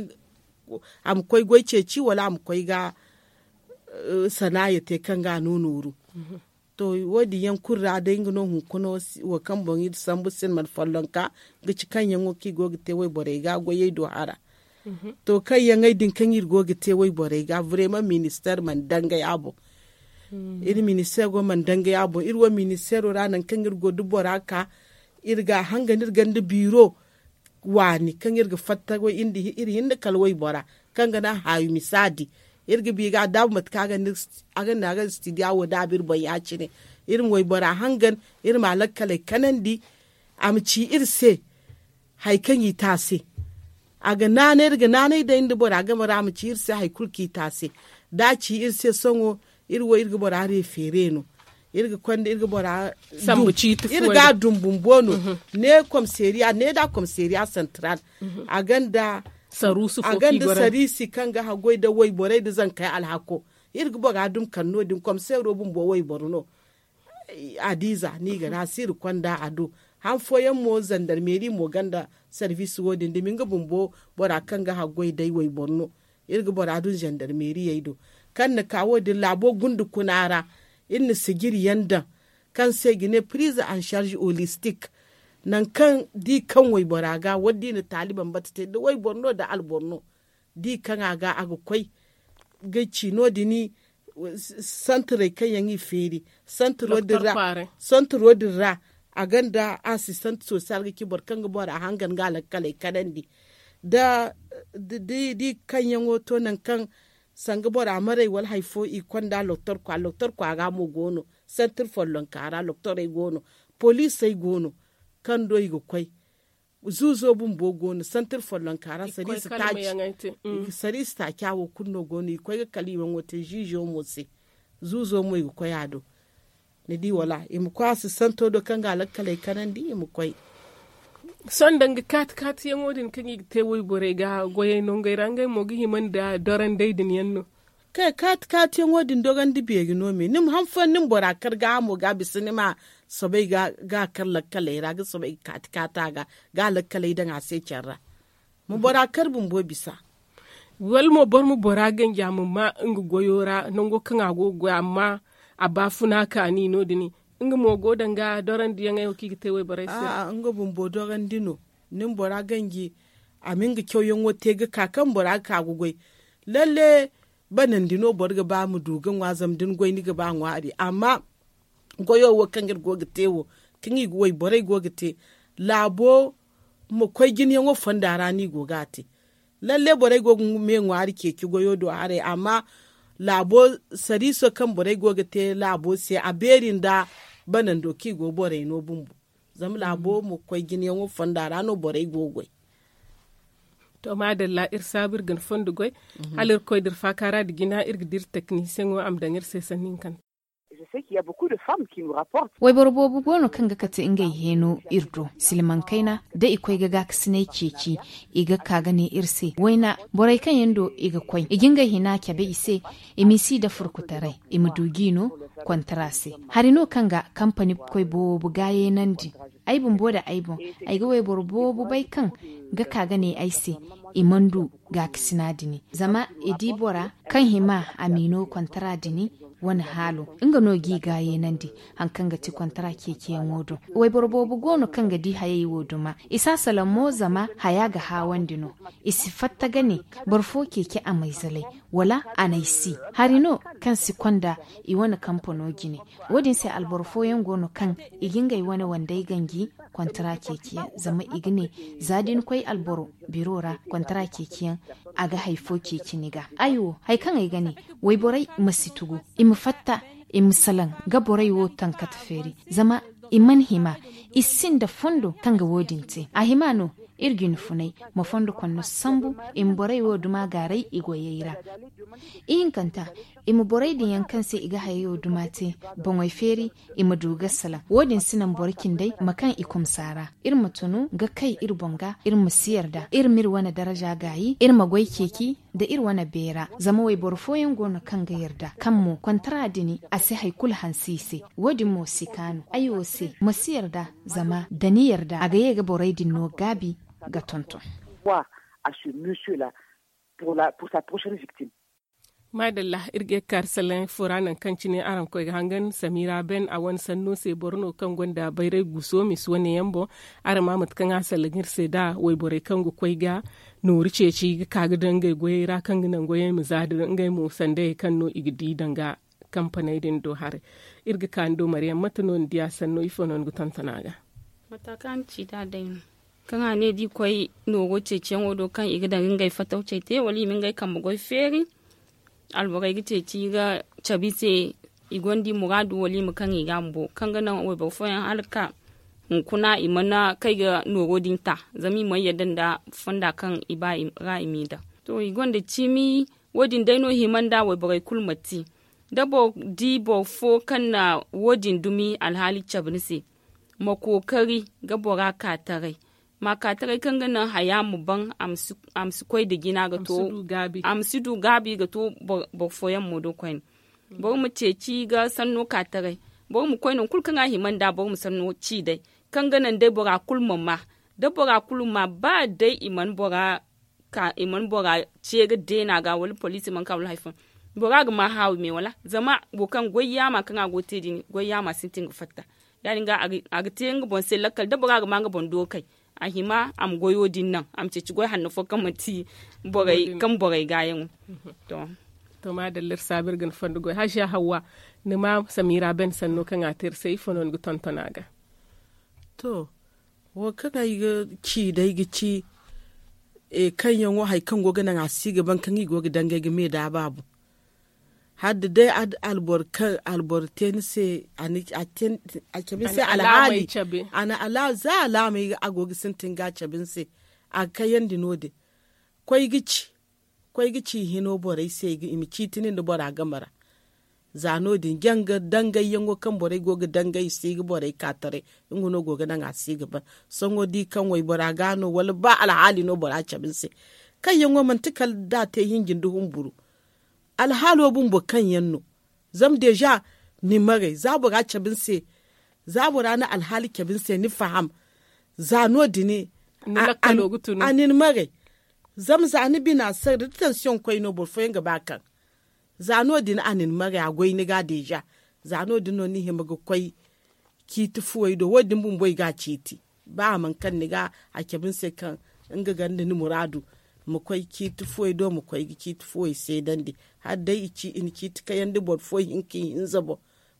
a ma koy goy ceeci wala a ma koy ga sanaaya te kaŋ ga a no nooru. To wo- din yaŋ kulu ra day nga no hunkuna wo kaŋ boŋ iri sambu sinman follonka ga ci kaŋ yaŋo kaŋ i go ga te wayborey ga goyey do hara. To kaŋ yaŋey din kaŋ iri go ga te wayborey ga vraiment ministeer mana dangay a boŋ. Iri ministeero mana dangay a boŋ iri wo ministeero ra nangu kaŋ iri go da bora ka iri ga a hangan iri ganda biiro waani kaŋ iri ga fatta iri hinne kala waybora kaŋ ga naŋ haawi misa di. Iri ga bi ga a daabu mate kaŋ a ga ne a ga studio wo daabu iri boŋ ya- cine. Iri ma waybora hangan iri ma a lakkaley kanandi a ma ci iri se hari kaŋ i te a se. A ga naanay iri ga naanay day nda bora game ra a ma ci iri se hari kulu kaŋ i te a se. Da a ci iri se sohõ iri wo iri ga bora refeere no. Iri ga konda iri ga bora sambu ciiti iri ga a dum bumbo no. Ne komiseeriya ne da komiseeriya santaral a ganda saruusu fo a ganda sariisi kaŋ ga haggoy nda wayborey nda zankey alhako. Iri ga bora dum kala no- din komiseero bumbo wayboro no. A diiza no i ga ne a se iri konda a do. Han fooyaŋ mo zandarmeeri mo gonda sarbiisi wo- din dumi nga bumbo bora kaŋ ga haggoy day wayboro no. Iri ga bora dun zandarmeeriyey do kaŋ na ka wo- din laabo gunda kuna ra. Iri na sijiri yaŋ daŋ kaŋ se i ga ne pirize en sarze holistik. Nangu kaŋ da i kaŋ waybora ga wala da i na taali bambata te da wayboro no da alboro no da i kaŋ a ga a ga koy ga ci no- din santarey kaŋ yaŋ i feeri santaro din ra. Santaro din ra a gonda asistant sosiyal ga ci boro kaŋ ga bora hangan ga alakkaley kanandi da i kaŋ yaŋo to nangu kaŋ sanga bora maray wala hari fo i konda loktor kwa loktor kwa ra mo go no. Santar follonka ra loktorey go no. Poliisey go no kaŋ do i ga koy. Zuuzo bumbo go no santar follonka ra sariisi taaca wo kulu no go no i ga koy ga kala i waŋo te ziizo mo se. Zuuzo mo i ga koy a do. Ni di wala i ma koy a si santo do kaŋ ga alakkaley kanandi i ma koy. Sohõ danga kaati kaati yaŋo din kaŋ i ga te wayborey ga goyey nongey ra ngey mo ga hima nda dorandey din yaŋ no. Kaati kaati yaŋo din dorandi beeri no me ni ma han fooyaŋ ni ma bora kar gaahamo ga a bisa ni ma soobay ga a kar lakkaley ra ga soobay ga kaati kaati a ga ga a lakkaley daŋ a se care ra. Ma bora kar bumbo bisa. Wala mo boro ma bora ganji a ma ma nga goyo ra nango kaŋ a go ga goy amma a baafuna kaani no- din nga mo go danga dorandiyaŋey wo kaŋ i ga te wayborey se. Nga bumbo dorandi no. Ni ma bora ganji a ma nga cawyaŋo te ga ka kaŋ bora ga ka ga goy. Lalle banandi no boro ga ba ma du ga ŋwa zama da ni goy ni ga ba ŋwaari amma goyo wo kaŋ iri go ga te wo kaŋ i ga wayborey go ga te laabo ma koy jinayaŋo fonda ra no i go ga a te. Lalle borey go ga me ŋwaari ceeci goyo do haray amma laabo sariiso kaŋ borey go ga te laabo se a beeri nda banando kaŋ i go borey no bumbo. Zama laabo ma koy jinayaŋo fonda ra no borey go ga goy. To maadalla iri saabu iri ga ni fondo goy. Hala iri koy da iri faakaara nda jina iri ga dira teknisiyeŋo a ma daŋ iri se sanni hinkanta. Wayboro boobo go no kaŋ ga kate ngey heeno iri do silmaŋ kayna da i koy ga gaakasinay ceeci. I ga ka ga ne iri se wayna borey kaŋ yaŋ do i ga koy i ga ngey hina cabe i se. I m'i si da furkutaray i ma du g'i no. Kontara se hari no kaŋ ga kampani koy boobo gaayeenandi. Ay bumbo nda ay boŋ ay ga wayboro boobo bay kaŋ ga ka ga ne ay se i mana du gaakasina dini zama i di bora kaŋ hima a m'i no kontara dini. Wane haalo nga no g'i gaayeenandi. Hari kaŋ ga ti kontara ceeciyaŋo do wayboro boobo go no kaŋ ga di hayey wo duma. I si a salaŋ mo zama haya ga haawandi no. I si fatta ga ne boro fo ceeci a m'ay zalay wala a n'ay si. Hari no kaŋ si konda i wane kampano jine. Wo- din se alboro fooyaŋ go no kaŋ i ga ngey wane wandey ganji kontara ceeciyaŋ zama i ga ne za da ni koy alboro biro ra kontara ceeciyaŋ a ga hari fo ceeci ni ga. Ay wo hari kaŋ ay ga ne wayborey ma si tugu i ma fatta i ma salaŋ ga borey wo tankate feeri zama i mana hima. I sinda fondo kaŋ ga wo- din te a hima no iri ga ni funay ma fondo konno sambu i ma borey wo duma gaaray i goyey ra. Ihinkanta i ma borey din yaŋ kaŋ se i ga hayey wo duma te boŋey feeri i ma du ga salaŋ wo- din si naŋ boro cindey ma kaŋ i kumsa ra. Iri ma tunu ga kay iri boŋ ga iri ma si yarda iri m'iri wane daraja gaayi iri ma goy ceeci nda iri wane beera zama wayboro fooyaŋ go no kaŋ ga yarda kaŋ mo kontara dini a si hari kulu hanse i se. Wo- din mo si kaanu ay wo se ma si yarda zama da ni yarda a ga ye ga borey din no gaabi ga tonton. Maadalla iri ga ye ga kaari salaŋ fo ra nangu kaŋ cine araŋ koy ga hangan samira ben a wane sanno se boro no kaŋ gonda bayray guuso misi wane yaŋ boŋ. Araŋ ma mate kaŋ a salaŋ iri se da wayborey kaŋ ga koy ga nooru ceeci ga ka ga daŋ ngey goyey ra kaŋ ga naŋ goyey ma za da ngey mo sandayey kaŋ no i ga di danga kampaney din do haray. Iri ga ka ni do maryaŋ mate no ni diya sanno ifo no ni ga tonton a ga? Mata kaŋ a na ci da a day no kaŋ a ne da i koy noogo ceeciyaŋo do kaŋ i ga daŋ ga ngey fatawcey te wala i ma ngey kambe goy feeri. Alborey ga ceeci ga cabe i se i gonda i muraadu wala i ma kaŋ i ga a ma bo kaŋ ga naŋ wayboro fooyaŋ hala ga ka hunkuna i mana kay ga noogo din ta zama i mana yadda nda fonda kaŋ i ba ra i m'i daŋ. To i gonda ciimi wo- din day no hima nda wayborey kulu ma te da boro di boro fo kaŋ na wo- din dumi alhaali cabe ni se ma kookari ga bora ka taray ma ka taray kaŋ ga naŋ haya ma ban a ma si koy nda jina ga to a ma si du gaabi ga to boro fooyaŋ mo do koyne. Boro ma ceeci ga sanno ka taray boro ma koy nangu kulu kaŋ a hima nda boro ma sanno ci day kaŋ ga naŋ day bora kulu ma ma da bora kulu ma ba day i mana bora ka i mana bora ce ga deena ga wala poliisi mana ka wala hari fooyaŋ bora ga ma haawi me wala zama wo kaŋ goy yaama kaŋ a go ga te din goy yaama sintin ga fatta. Ya- din ga a ga te nga boŋ se lakkal da bora ga ma nga boŋ dookay a hima a ma goyo din naŋ a ma ceeci goy hanno fo kaŋ manti borey kaŋ borey gaayaŋo. To maadalla iri saabu iri ga ni fondo goy haziya hawwa ni ma samira ben sanno kaŋ a te iri se ifo no ni ga tonton a ga? To wo kaŋ ay ga ci day ga ci kaŋ yaŋo hari kaŋ go ga naŋ a si ga ban kaŋ i go ga dangay ga me da a baabu. Hala da day alboro te ni se a cabe ni se alhaali a na za alaamey a go ga sintin ga a cabe ni se. A ga kayandi no- din koy ga ci koy ga ci hino borey se i ma ciiti nin da bora game ra. Za no- din janga dangayyaŋo kaŋ borey go ga dangay i si ga borey ka taray. Nga no go ga naŋ a si ga ban sohõ da i kaŋ waybora ga no wala ba alhaali no bora cabe ni se. Kaŋ yaŋo manti kala da a te hinjin da humburu alhaalo bumbo kaŋ yaŋ no. Zama deeza ni maray za bora cabe ni se za bora na alhaali cabe ni se ni faham. Za no- din a na ni maray. Zama za ni bina sara da tansiyoŋ koy no boro fooyaŋ ga ba kaŋ za no- din a na ni maray a goy ni ga deeza. Za no- din no ni hima ga koy ciiti fuwey do wo- din bumbo i ga a ciiti ba a mana kaŋ ni ga a cabe ni se kaŋ nga ganda ni muraadu. Ma koy ciiti fuwey do ma koy ga ciiti fuwey seedandi hala day i na ciiti kayandi boro fo hinka i hinza boŋ.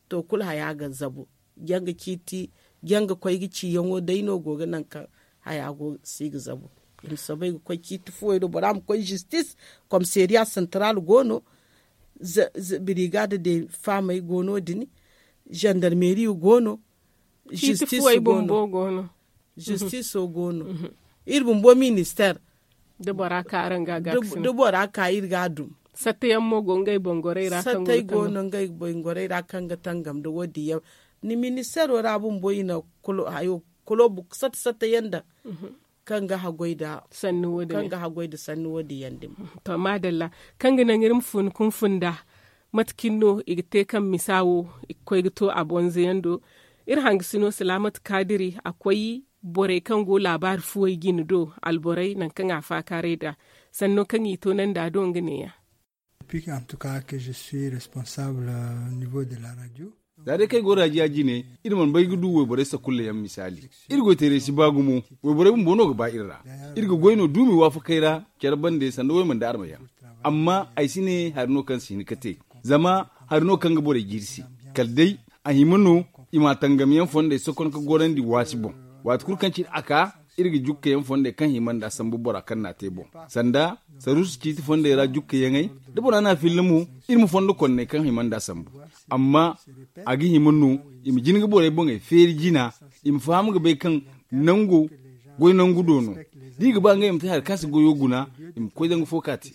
To kulu haya ga zabu janga ciiti janga koy ga ciyaŋo day no go ga naŋ kaŋ haya go si ga zabu. I ma soobay ga koy ciiti fuwey do bora ma koy zistis. Komiseriya santaral go no. Birigaada de faamey go no- din zandarmeri go no. Zistis go no. Zistiso go no iri bumbo minister. Da bora ka araŋ ga a ga ga sina. Da bora ka iri ga a dum. Sattayaŋ mo go ngey bongorey ra kaŋ go no ngey bongorey ra kaŋ ga tangam da wo- din yaŋ. Ni ministeero ra bumbo i na kolo hayo kolo satta satta yaŋ daŋ kaŋ ga haggoy da sanni wo- din yaŋ dima. To maadalla, kaŋ ga naŋ iri ma fun ka hun funda mate cine no i ga te kaŋ misa wo i ga koy ga to a bonzo yaŋ do. Iri hangasino salaamat kaadiri a koy borey kaŋ go laabaari fuwey jine do, alborey nangu kaŋ a faakaaray nd'a sanno kaŋ i toonandi a do nga neeya. Depuis en tout cas que je suis responsable au niveau de la radio. Za day kaŋ ay go raajiya jine, iri mana bay ga du wayborey sakulla yaŋ misaali. Iri goyteeray si ba gumo. Wayborey bumbo no ga ba iri ra. Iri ga goy no duumi waafakey ra care bande sanda waymanda arma yaŋ. Amma ay si ne hari no kaŋ si hin ga te. Zama hari no kaŋ ga borey jiiri se. Kala day a hima no i ma a tangam yaŋ fondey sokon ga gorandi waasi boŋ. Waati kulu kaŋ cine a ka iri ga jukka yaŋ fondey kaŋ hima nd'a sambu bora kaŋ n'a te boŋ. Sanda saruusu ciiti fondey ra jukka yaŋey da bora n'a filla mo, iri ma fondo konney kaŋ hima nd'a sambu. Amma a ga hima no i ma jin ga borey boŋey feeri jina, i ma faham ga bay kaŋ nango goy nangu do no. Da i ga ba ngey ma te hari kaŋ si goyo guna, i ma koy danga fo ka te.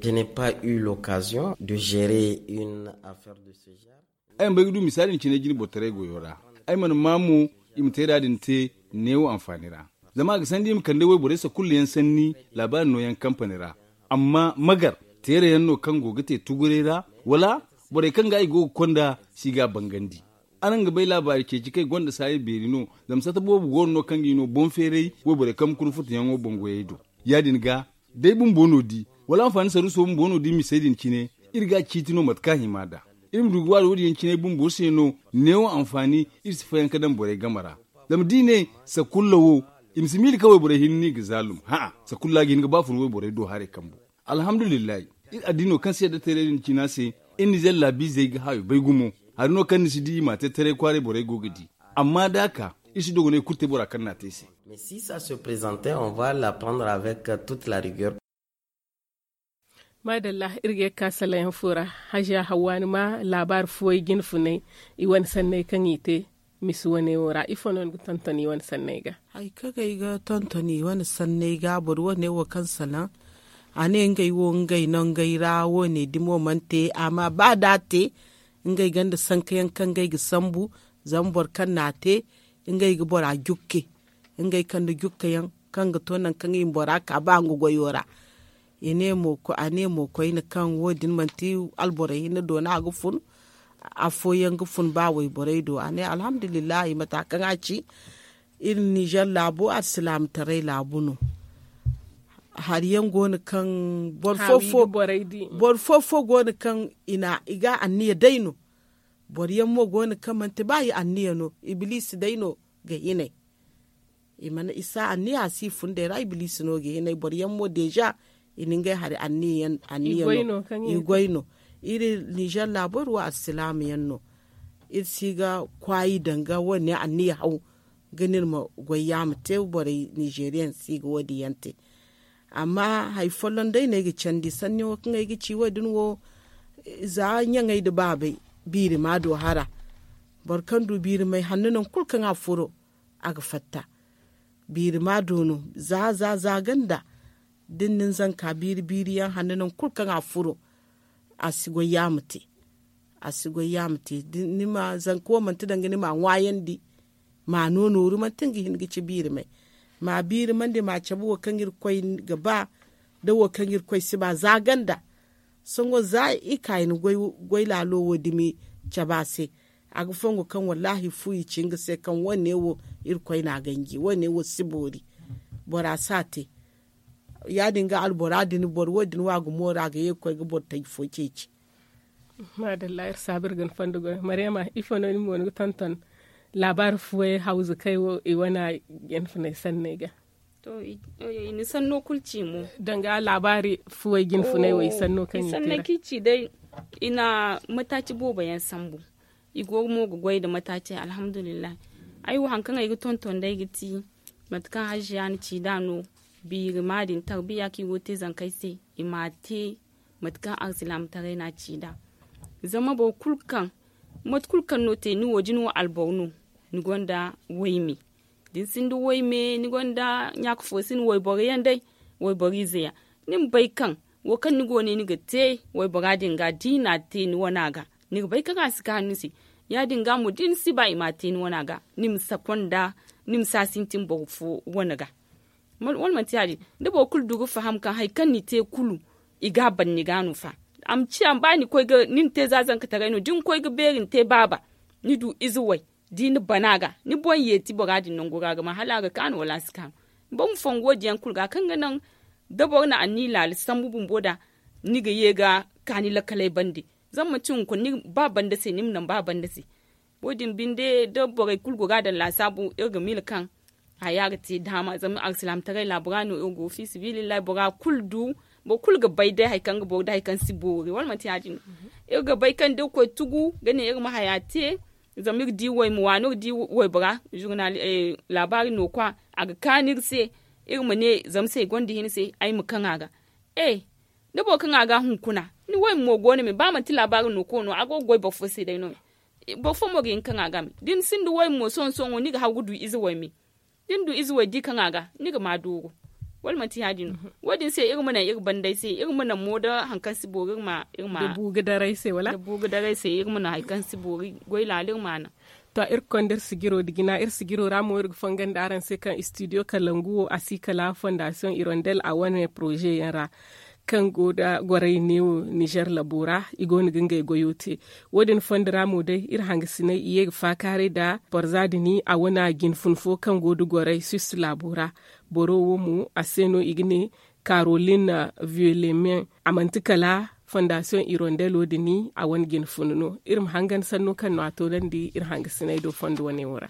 Je n'ai pas eu l'occasion de gérer une affaire de ce genre. Ay mana bay ga du misaali din cine jine bortaray goyo ra. Ay mana ma mo i ma te da din te neewo anfaani ra. Zama a ga sandi i ma kande wayborey sakulla yaŋ sanni laabaari nooyaŋ kampani ra. Amma magar teera yaŋ no kaŋ go ga te tuguray ra, wala borey kaŋ ga i go ga konda si ga a bangandi. Araŋ ga bay laabaari ceeci kaŋ i gonda saaya beeri no. Zama sata boobo go no no kaŋ ga i no boŋ feeray wayborey kaŋ ma kuna futuyaŋo boŋ goyey do. Ya- din ga day bumbo no di wala anfaani saruuso bumbo no di misey din cine. Iri ga a ciiti no mate kaŋ a hima nd'a. Iri ma du ga waari wo- din yaŋ cine bumbo se no neewo anfaani. Iri si fayanka daŋ borey game ra. Zama da i ne sakulla wo i ma si miila kaŋ wayborey hinne no i ga zaalum. Hã'a, sakulla ga hin ga ba fun wayborey do haray kambu. Alhamdulillahi, iri addiino kaŋ se yadda teeray din cina se. Iri nizeer laabiizey ga hayo bay gumo. Hari no kaŋ ni si di i m'a te taray kwaaray borey go ga di. Amma da a ka iri si dogonay kulu te bora kaŋ n'a te se. Mais si ça se présentait, on va la prendre avec toute la rigueur. Maadalla, iri ga ye ga ka salayaŋ fo ra. Hajiya hawwa ni ma laabaari fuwey jine funay i wane sanney kaŋ i te misi wane wo ra ifo no ni ga tonton i wane sanney ga? Hari kaŋ ay ga tonton i wane sanney ga boro wane wo kaŋ salaŋ a ne ngey wo ngey nangey ra wo- ne dimo mana te. Amma ba da a te ngey gonda sanka yaŋ kaŋ ngey ga sambu. Zama boro kaŋ n'a te ngey ga bora jukke. Ngey kande jukka yaŋ kaŋ ga to nangu kaŋ i ma bora ka ba nga goyo ra. A ne mo koyne kaŋ wo- din manti alborey hinne do no a ga fun. Afooyaŋ ga fun ba wayborey do a ne alhamdulillahi mata kaŋ a ci. Iri nizeer laabo alsilaamataray laabu no. Hari yaŋ go no kaŋ boro fo fo go no kaŋ i ga anniya day no. Boro yaŋ mo go no kaŋ manti ba i anniya no ibiliisi day no ga hinay. I si anniya a si i fundey ra ibiliisi no ga hinay boro yaŋ mo deeza i na ngey hari anniya yaŋ anniya no. I goy no. Iri nizeer laabo iri wo alsilaama yaŋ no. Iri si ga kwaayi danga wane anniya haw ga no iri ma goy yaama te borey nizeeriyaŋ si ga wo- din yaŋ te. Amma hari folloŋ day no ay ga candi sanni wo kaŋ ay ga ci wo- din wo. Za ɲaŋey nda baabey biiri ma do hara. Boro kaŋ du biiri may hanno nangu kulu kaŋ a furo a ga fatta. Biiri ma do no za za za ganda da ni na ni zanka biiri biiri yaŋ hanno nangu kulu kaŋ a furo. A si goy yaama te. A si goy yaama te. Zanka wo manti danga ni m'a ŋwaayandi. Ma no nooru manti nga hin ga ci biiri may. Ma biiri mandi ma cabe wo kaŋ irkoy ga ba da wo kaŋ irkoy si ba za ganda. Sohõ za i ka i na goy laalo wo dumi cabe a se. A ga fongo kaŋ wallaahi fu i ci nga se kaŋ wo- ne wo irkoy no a ganji wo- ne wo si boori. Bora si a te. Ya- din ga albora din boro wo- din wo a ga mooru a ga ye ga koy ga boro taji fo ceeci. Maadalla iri saabu iri ga ni fondo goy maryama ifo no ni mo ni ga tonton laabaari fuwey hawzu kaŋ ay wo i wane jinfunay sanney ga? To i na sanno kulu ci mo. Danga laabaari fuwey jinfunay wo i sanno kaŋ i te ra. I sanno kaŋ i ci day i na mataaci boobo yaŋ sambu. I go mo ga goy nda mataacey alhamdulillahi. Ay wo hari kaŋ ay ga tonton day ga ti mate kaŋ haziya na ci nd'a no. Biiri ma din tarbiya kaŋ i go ga te zankey se i m'a te mate kaŋ alsilaamataray no a ci nd'a. Zama boro kulu kaŋ mate kulu kaŋ no te ni wo da ni wo alboro no ni gonda wayme. Da ni sinda wayme ni gonda ɲaaka fo si ni wayboro yaŋ day, wayboro ize yaŋ, ni ma bay kaŋ wo kaŋ ni go ne ni ga te waybora din ga da i n'a te ni wana ga, ni ga bay kaŋ a si kaanu ni se. Ya- din ga mo da ni si ba i m'a te ni wana ga, ni ma si a sintin boro fo wane ga. Wala manti ya- din, da boro kulu du ga faham kaŋ hari kaŋ ni te kulu, i ga a ban ni ga no fa. A ma ciya ba ni na te za zankataray no da ni koy ga beeri ni te baaba, ni du ize way, da i na ban a ga ni boŋ yeeti bora din nangu ra ga ma hala a ga kaanu wala a si kaanu. Boro ma fongu wo- din yaŋ kulu ga kaŋ ga naŋ da boro na anniya laala sambu bumbo da, ni ga ye ga kaani lakkaley bande. Zama manti hunkuna ni ga ba banda se ni ma naŋ ba banda se. Wo- din binde da borey kulu go ga a daŋ laasaabu iri ga miila kaŋ haya ga te daama zama alsilaamataray laabo ra no iri go fiisabilillahi bora kulu du. Boro kulu ga bay day hari kaŋ ga boori da hari kaŋ si boori wala manti ya- din no? Iri ga bay kaŋ da iri koy tugu ga ne iri ma haya te, zama iri di wayma waano iri di waybora, laabaari no kwa, a ga kaanu iri se. Iri ma ne zama se ay gonda hina se ay ma kaŋ a ga. E, da boro kaŋ a ga hunkuna, ni wayma mo go no me ba manti laabaari no ko no a go ga goy boro fo se day no me. Boro fo mo ga hin kaŋ a ga me da ni sinda wayma mo sohõ sohõ ni ga haw ga du ize wayme. Da ni du ize way di kaŋ a ga, ni ga ma dooro. Wala manti ya- din no? Wo- din se iri ma naŋ iri bandey se iri ma naŋ mo da hari kaŋ si boori iri ma iri ma da buugu daray se wala da buugu daray se iri ma naŋ hari kaŋ si boori goy laala iri ma a naŋ. To, iri ga konda iri sijiro nda jina iri sijiro ra mo iri ga fongan da araŋ se kaŋ studio kalangu wo a si kala fondasiyoŋ hirondel a wane poroze yaŋ ra, kaŋ go nda goray neewo nizer labo ra. I go no ga ngey goyo te. Wo- din fondo ra mo day iri hangasiney i ye ga faakaaray nda borza din a wane jinfun fo kaŋ go nda goray swiss laabo ra. Boro wo mo a se no i ga ne karolin violemen. A manti kala fondasiyoŋ hirondelo din a wane jinfun no. Iri ma hangan sanno kaŋ no a toonandi iri hangasiney do fondo wane wo ra.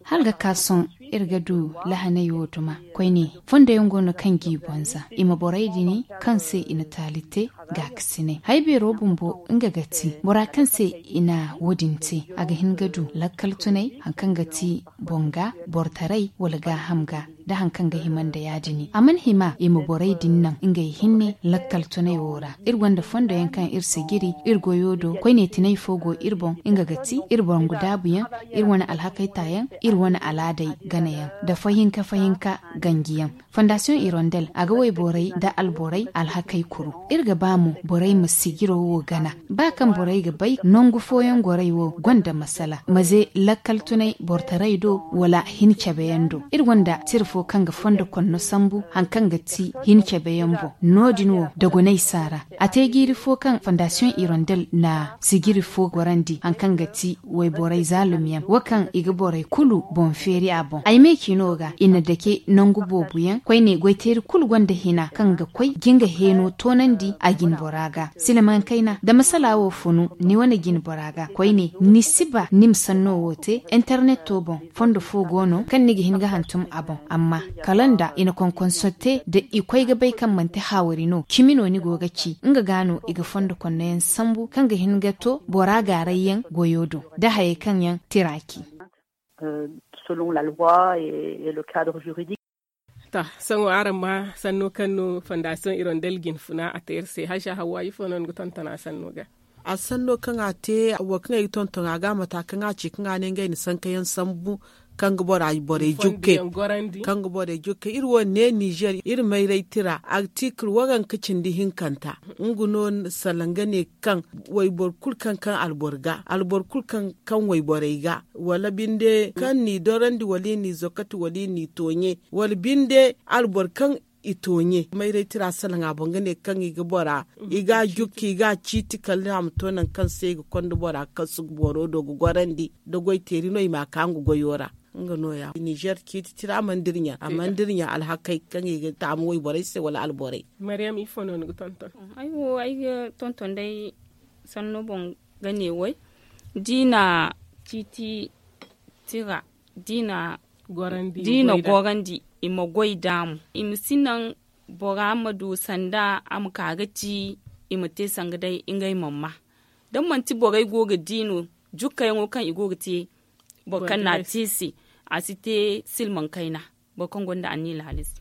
Hala ga ka sohõ iri ga du lahaney wo duma koyne. Fondo yaŋ go no kaŋ g'i bonza i ma borey din kaŋ se i na taali te. Gaakasiney hari beero bumbo nga ga ti bora kaŋ se i na wo- din te a ga hin ga du lakkal tunay hari kaŋ ga ti boŋ ga, bortaray wala gaaham ga, da hari kaŋ ga hima nda ya- din a mana hima i ma borey din naŋ ngey hinne lakkal tunay wo ra. Iri gonda fondo yaŋ kaŋ iri sijiri iri goyo do koyne tinay fo go iri boŋ nga ga ti iri boŋ ga daabu yaŋ, iri wane alhakey ta yaŋ, iri wane alaadey gana yaŋ, nda fahinka fahinka ganji yaŋ. Fondasiyoŋ hirondel a ga wayborey nda alborey alhakey kuru. Iri ga ba mo borey ma sijiro wo gana ba kaŋ borey ga bay nangu fooyaŋ gorey wo gonda masala maze lakkal tunay bortaray do wala hin cabe yaŋ do. Iri gonda tira fo kaŋ ga fondo konno sambu hari kaŋ ga ti hin cabe yaŋ boŋ. No- din wo dogonay si a ra. A te jiiri fo kaŋ fondasiyoŋ hirondel na sijiri fo gorandi hari kaŋ ga ti wayborey zaalum yaŋ wo kaŋ i ga borey kulu boŋ feeri a boŋ ay me ciino ga i na dake nangu boobo yaŋ koyne goyteeri kulu gonda hina kaŋ ga koy ga nga heeno toonandi a jinbora ga. Silmaŋ kayna da masala wo funu ni wane jinbora ga koyne ni si ba ni ma sanno wo te interneto boŋ. Fondo fo go no kaŋ ni ga hin ga hantum a boŋ amma kala nda i na konkonso te da i koy ga bay kaŋ manti haawari no cimi no ni go ga ci nga ga no i ga fondo konno yaŋ sambu kaŋ ga hin ga to bora gaaray yaŋ goyo do da hayey kaŋ yaŋ tira ci. Selon la loi et le cadre juridique. To, sohõ araŋ ma sanno kaŋ no fondasiyoŋ hirondel jinfuna a te iri se hajja hawwa ifo no ni ga tonton a sanno ga? A sanno kaŋ a te wo kaŋ ay ga tonton a ga mata kaŋ a ci kaŋ a ne ngey na sanka yaŋ sambu kaŋ ga bora borey jukkey kaŋ ga borey jukkey iri wo ne nizer iri mayray tira artikil waranka cindi hinkanta. Nga no salaŋ ga ne kaŋ wayboro kulu kaŋ kaŋ alboro ga alboro kulu kaŋ kaŋ wayborey ga wala binde kaŋ n'i dorandi wala i n'i zokati wala i n'i tooɲe wala binde alboro kaŋ i tooɲe mayray tira salaŋ a boŋ ga ne kaŋ i ga bora i ga a jukka i ga a ciiti kala a ma to nangu kaŋ se i ga konda bora kasu ga boro do ga gorandi da goy teeri no i m'a ka nga goyo ra. Nga no- ya nizer ciiti tira mana dira ɲa a mana dira ɲa alhakey kaŋ i ga taamu wayborey se wala alborey. Maryam ifo no ni ga tonton? Ay wo ay ga tonton day sanno boŋ ga ne way da i na ciiti tira da i na gorandi i ma goy nd'a mo i ma si naŋ bora ma du sanda a ma ka ga ci i ma te sanga day ngey mana ma. Da manti borey go ga di no jukkayaŋo kaŋ i go ga te boro kaŋ n'a te se a si te silmaŋ kayna. Boro kaŋ gonda anniya laali se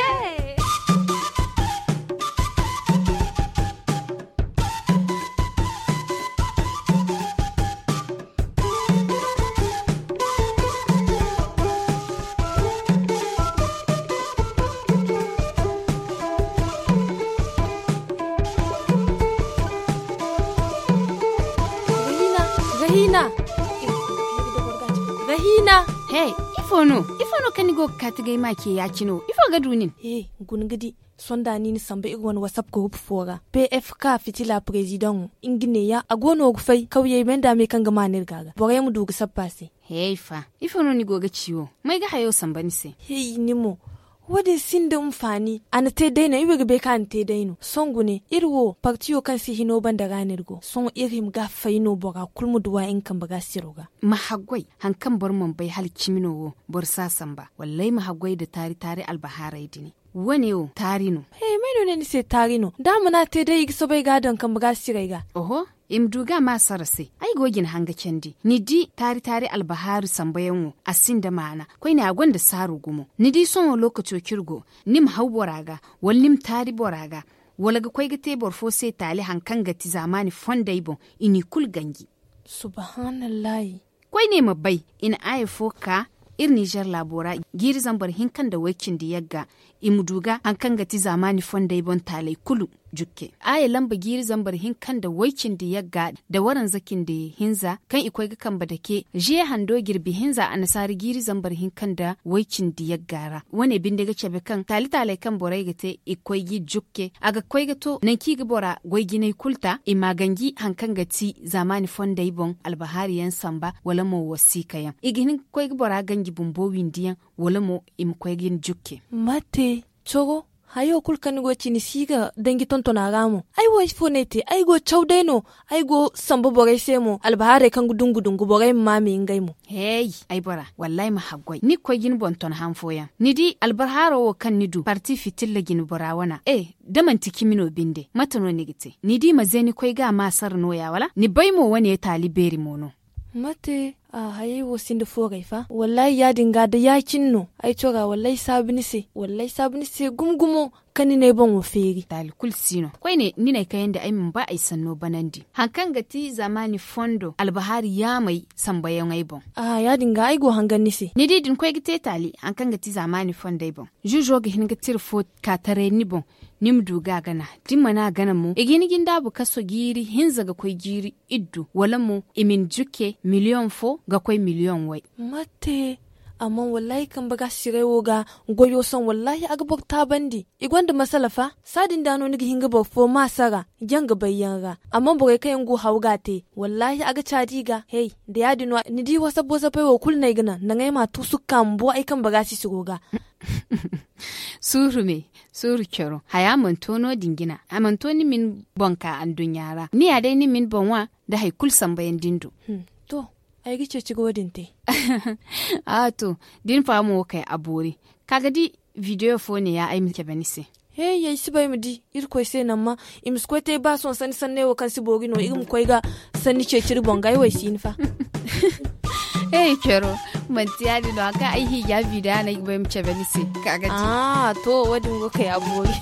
Rahina, Rahina. Rahina. Hey, ifo no? Ifo no kaŋ ni go ga kaati ga ay ma ce ya-cine wo? Ifo ga du nin? He, guna ga di. Sohõ da ni na samba iri wane whatsapp group fo ra. P F K fitila president wo, nga neeya a go no ga fay kawyey me nda me kaŋ ga maan iri ga a ga borey ma du ga sappa se. Hey fa, ifo no ni go ga ci wo? May ga hayo samba ni se? Hey, ni mo. Wo- din sinda hinfaani. A na te day no iri wo ga bay kaŋ a na te day no sohõ gune iri wo partiyo kaŋ si hino banda ra no iri go sohõ iri hima ga a fay no bora kulu ma duw'a nga kambe ga siro ga. Ma haggoy. Hari kaŋ boro mana bay hala cimi no wo, boro si a samba wallaahi ma haggoy nda taari taari albahaaray din. Wo- ne wo taari no. He, may no ne ni se taari no? Da a mana te day i ga soobay ga a daŋ kambe ga siray ga. Oho. I ma du ga a ma sara se. Ay go ga ni hanga candi ni di taari taari albahaaru sambayaŋo a sinda maana. Koyne a gonda saaru gumo. Ni di sohõ lookaco kaŋ iri go, ni ma haw bora ga, wala ni ma taari bora ga, wala ga koy ga te boro fo se taali hari kaŋ ga ti zaamaani fondey boŋ, i n'i kulu ganji. Subhanallaahi. Koyne ma bay, i na aaya fo ka iri ninzeer laabo ra, jiiri zambar hinka nda way-cindi yagga. I ma du ga hari kaŋ ga ti zaamaani fondey boŋ taaley kulu jukke. Aaya lamba jiiri zambar hinka nda way-cindi yagga nda waranza cindi hinza kaŋ i koy ga kambe dake ziye hando jirbi hinza annasaara jiiri zambar hinka nda way-cindi yagga ra. Wo- ne binde ga cabe kaŋ taali taaley kaŋ borey ga te i ga koy g'i jukke a ga koy ga to nangu kaŋ i ga bora goy jinay kulu ta i m'a ganji hari kaŋ ga ti zaamaani fondey boŋ albahaari yaŋ samba, wala mo wasiika yaŋ i ga hin ga koy ga bora ganji bumbo windi yaŋ, wala mo i ma koy ga ni jukke. Mate, coro, hayo kulu kaŋ ni go ga ci ni si ga danji tonton a ra mo? Ay wo ifo no ay te? Ay go caw day no. Ay go ga samba borey se mo albahaaray kaŋ ga dungu dungu borey ma maamay ngey mo. Hey, ay bora, wallaahi ma haggoy ni ga koy ga ni boŋ ton han fooyaŋ. Ni di albarhaaro wo kaŋ ni du parti fitilla ga ni bora wana e, da manti cimi no binde mate no ni ga te? Ni di ma ze ni koy ga a ma sara nooya wala ni bay mo wane taali beeri mo no? Mate, a hayey wo sinda fooray fa wallaahi ya- din ga da ya- cine no. Ay cora wallaahi saabu ni se wallaahi saabu ni se gumo gumo. Kaŋ ni n'ay boŋo feeri taali kulu si no. Koyne ni n'ay kayandi ay mana ba ay sanno banandi. Hari kaŋ ga ti zaamaani fondo albahaari yaamey sambayaŋey boŋ. Aha ya- din ga ay go hangan ni se. Ni di da ni koy ga te taali hari kaŋ ga ti zaamaani fondey boŋ, zuuzo ga hin ga tira fo ka taray ni boŋ. Ni ma du ga a gana. Da ni mana a gana mo i ga hin ga ni daabu kaso jiiri hinza ga koy jiiri iddu wala mo i ma ni jukke miliyoŋ fo ga koy miliyoŋ way. Mate. Amma wallaahi kambe ga siray wo ga goyo sohõ wallaahi a ga boro taabandi. I gonda masala fa. Saadin da no ni ga hin ga boro fo ma sara janga bayyaŋ ra. Amma borey kaŋ yaŋ go haw ga a te wallaahi a ga caadi i ga. Hey, da ya- din no ni di wasap wasapey wo kulu no ay ga naŋ naŋ ay ma a tuusu ga ka ma bo ay kambe ga sisiro ga. Suuru me, suuru coro haya mana to no- din jina a mana to ni ma ni boŋ ka anduɲɲa ra ni ya day ni ma ni boŋ ŋwa. Da hari kulu sambayaŋ din du. To. Ay ga ceeci ga wo- din te. A to, da ni fahamo wo kay a boori. Ka ga di, video fo ne- ya ay ma cabe ni se. He, ay si bay ma di. Irkoy se no amma, i ma si koy te ba sohõ sanni sanney wo kaŋ si boori no iri ma koy ga sanni ceeci iri boŋ ga ay wo ay si hin fa. He, coro, manti ya- din no hari kaŋ ay hiija video no ay ga bay ma cabe ni se. Ka ga di. A to, wo- din go kay a boori.